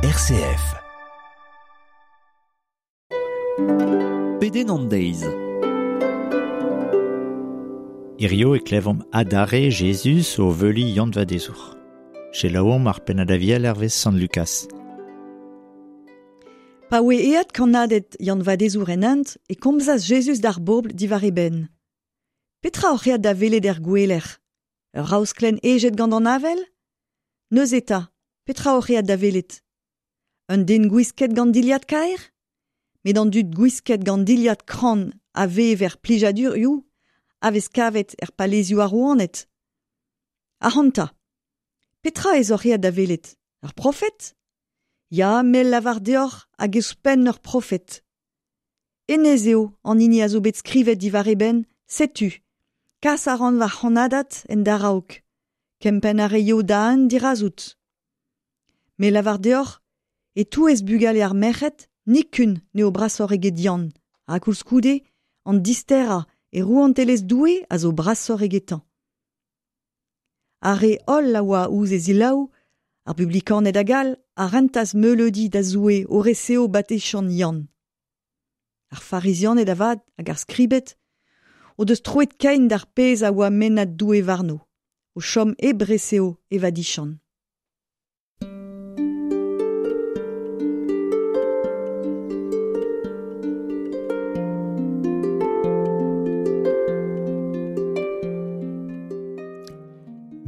RCF. Pedenn an deiz. Hirio e klevomp adare Jezuz o veuli Yann Vadezour. Selaouomp ar pennad aviel hervez Sant Lukas. Pa oe eat kannaded Yann Vadezour en hent e komzas Jezuz d'ar bobl diwar e benn. Petra oc'h eat da welet er gouelec'h? Ur raosklenn ejet gant an avel? Neuze eta, petra oc'h eat da welet? Un den gwisket gant dilhad kaer? Met an dud gwisket gant dilhad kran a vev er plijadurioù a vez kavet er palezioù ar rouaned. Ac'hanta, petra ez oc'h eat da welet? Ur profet? Ya, me lavar deoc'h hag ouzhpenn ur profet. Hennezh eo an hini a zo bet skrivet diwar e benn, setu, kas a ran va c'hannadad en daraok. Kempenn a reio da hent dirazout. Me lavar deoc'h, e-touez bugale ar merc'hed, nikun n'eo brasoc'h eget Yann, ha koulskoude, an disterañ e rouantelezh Doue a zo brasoc'h egetañ. Ar re holl a oa ouzh e zelaou, ar bublikaned hag all, a rentas meuleudi da Zoue o reseo batechant Yann. Ar farizianed avat hag ar skribed o deus troet kein d'ar pezh a oa mennad Doue warno, o chom hep reseo e vadichant.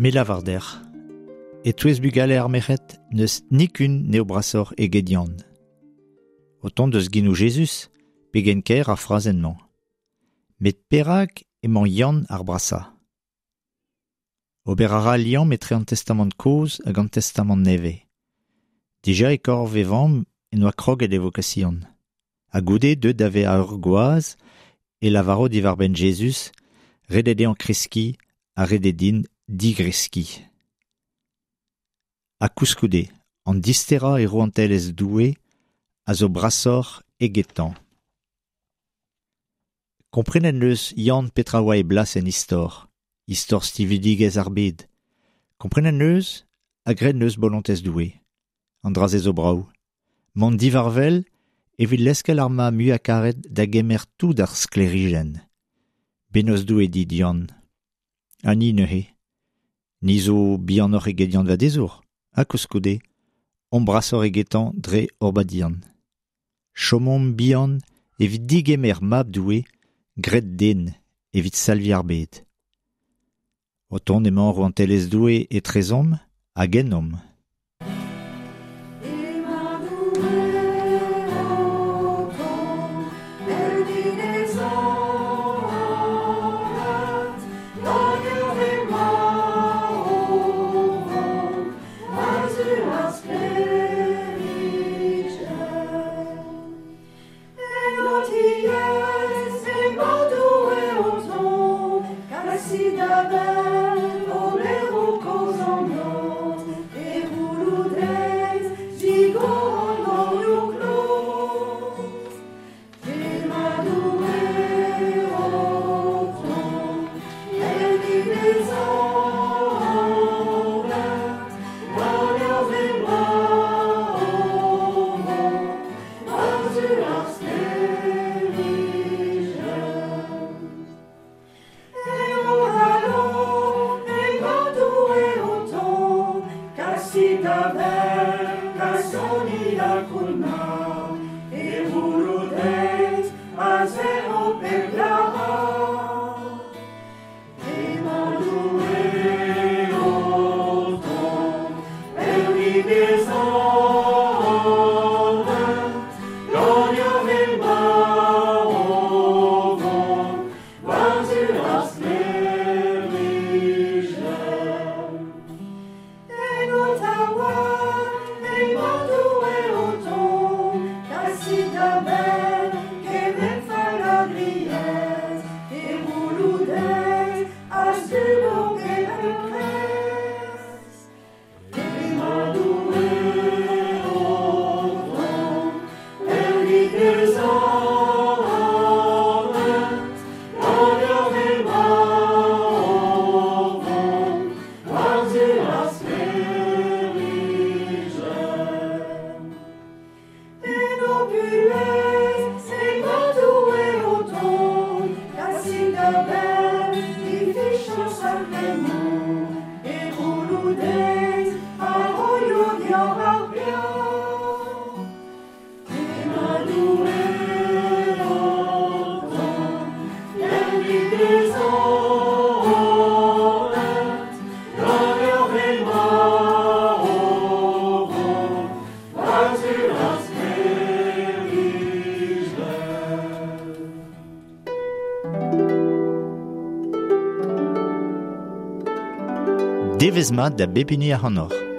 Me lavar deoc'h, e-touez bugale ar merc'hed n'eus nikun n'eo brasoc'h eget Yann. O tont deus genoù Jezuz, pegen kaer ar frazenn-mañ. Met perak emañ Yann ar brasañ? Ober a ra al liamm etre an Testamant kozh hag an Testamant nevez. Dija e korf e vamm en oa kroget e vokasion. Ha goude deuet da vezañ ur gwaz e lavaro diwar-benn Jezuz, ret eo dezhañ kreskiñ ha ret eo din digreskiñ. Ha koulskoude, an disterañ e rouantelezh Doue a zo brasoc'h egetañ. Komprenet neus Yann petra oa e blas en istor, istor stividigezh ar bed. Komprenet neus ha graet neus bolontez Doue. An dra-se zo brav. Mont divarvel evit leskel ar ma muiañ karet da gemer tout ar sklêrijenn. Bennozh Doue dit Yann. Ha ni neuze. Ni zo bihanoc'h eget Yann Vadezour, ha koulskoude, omp brasoc'h egetañ dre hor badian. Chomomp bihan evit digemer mab Doue, graet den evit salviñ ar bed. O tont emañ rouantelezh Doue etrezomp hag ennomp. Emañ Doue o tont, evel e zornad, hag ur emañ o vont war-zu ar sklêrijenn. En ho tiez emañ Doue o tont, kasit a-bell oberoù kozh an noz, e c'houloù deiz digor an dorioù kloz. Emañ Doue o tont, evit e zornad, gant ur emañ o vont war-zu ar sklêrijenn. En ho kalon emañ Doue o tont, kasit a-bell kasoni ha kounnar, e c'houloù deiz a zerro pep glac'har. Emañ Doue o tont, evit e zornad, gant ur emañ o vont war-zu ar sklêrijenn. En ho taouarn emañ Doue o tont, kasit a-bell kement fallagriezh, e c'houloù deiz a subo pep enkrez. Emañ Doue Devezh mat da bep hini ac'hanoc'h.